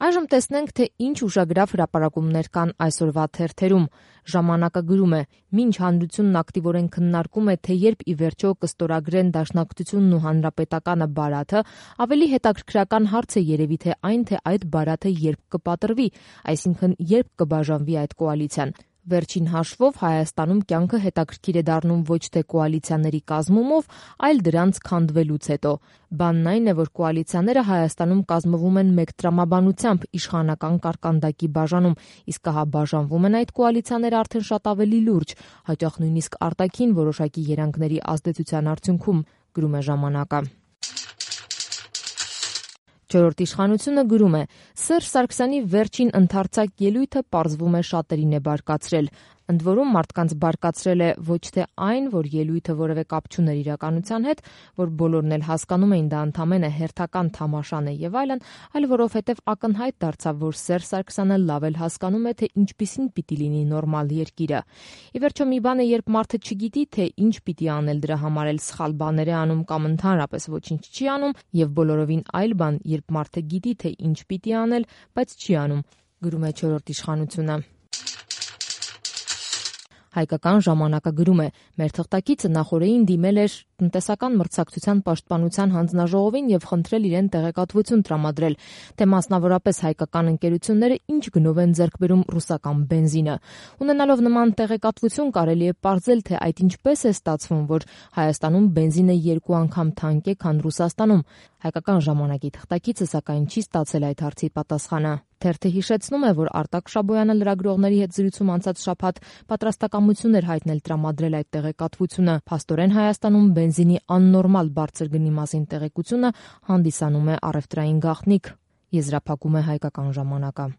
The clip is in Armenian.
Այժմ տեսնենք, թե ինչ ուշագրավ հրապարակումներ կան այսօրվա թերթերում։ Ժամանակը գրում է. մինչ հանրությունն ակտիվորեն քննարկում է, թե երբ ի վերջո կստորագրեն Դաշնակցությունն ու Հանրապետականը Բարաթը, ավելի հետաքրքրական հարց է երևի թե այն, թե այդ Բարաթը երբ կպատրվի, այսինքն երբ կբաժանվի այդ կոալիցիան։ Վերջին հաշվով Հայաստանում կյանքը հետաքրքիր է դառնում ոչ թե կոալիցիաների կազմումով, այլ դրանց քանդվելուց հետո։ Բանն այն է, որ կոալիցիաները Հայաստանում կազմվում են մեկ տրամաբանությամբ իշխանական կարկանդակի բաժանում, իսկ ահա բաժանվում են այդ կոալիցիաները արդեն շատ ավելի լուրջ, հաճախ նույնիսկ արտաքին որոշակի երանգների ազդեցության արդյունքում, գրում է ժամանակը։ Չորրորդ իշխանությունը գրում է. Սերժ Սարգսյանի վերջին ընդարձակ ելույթը պարզվում է շատերին է բարկացրել։ Ընդ որում մարդկանց բարկացրել է ոչ թե այն, որ ելույթը որևէ կապ չուներ իրականության հետ, որ բոլորն էլ հասկանում էին դա ընդամենը հերթական թամաշան է եւ այլն, այլ որովհետեւ ակնհայտ դարձավ, որ Սերժ Սարգսյանը լավ էլ հասկանում է, թե ինչպիսին պիտի լինի նորմալ երկիրը։ Ի վերջո մի բան է, երբ մարդը չգիտի, թե ինչ պիտի անել դրա համար էլ սխալ բաներ է անում կամ ընդհանրապես ոչինչ չի անում, եւ բոլորովին այլ բան, երբ մարդը գիտի, թե ինչ պիտի անել, բայց չի անում, գրում է չորրորդ իշխանությունը։ Հայկական ժամանակը գրում է. մեր թղթակիցը նախօրեին դիմել էր տնտեսական մրցակցության պաշտպանության հանձնաժողովին եւ խնդրել իրեն տեղեկատվություն տրամադրել, թե մասնավորապես հայկական ընկերությունները ինչ գնով են ձեռք բերում ռուսական բենզինը։ Ունենալով նման տեղեկատվություն կարելի է պարզել, թե այդ ինչպես է ստացվում, որ Հայաստանում բենզինը 2 անգամ թանկ է, քան Ռուսաստանում։ Հայկական ժամանակի թղթակիցը սակայն չի ստացել այդ հարցի պատասխանը։ Թերթը հիշեցնում է, որ Արտակ Շաբոյանը լրագրողների հետ զրույցում անցած շաբաթ պատրաստակամություն էր հայտնել տրամադրել այդ տեղեկատվությունը։ Փաստորեն Հայաստանում բենզինի աննորմալ բարձր գնի մասին տեղեկությունը հանդիսանում է առևտրային գաղտնիք, եզրափակում է Հայկական ժամանակը։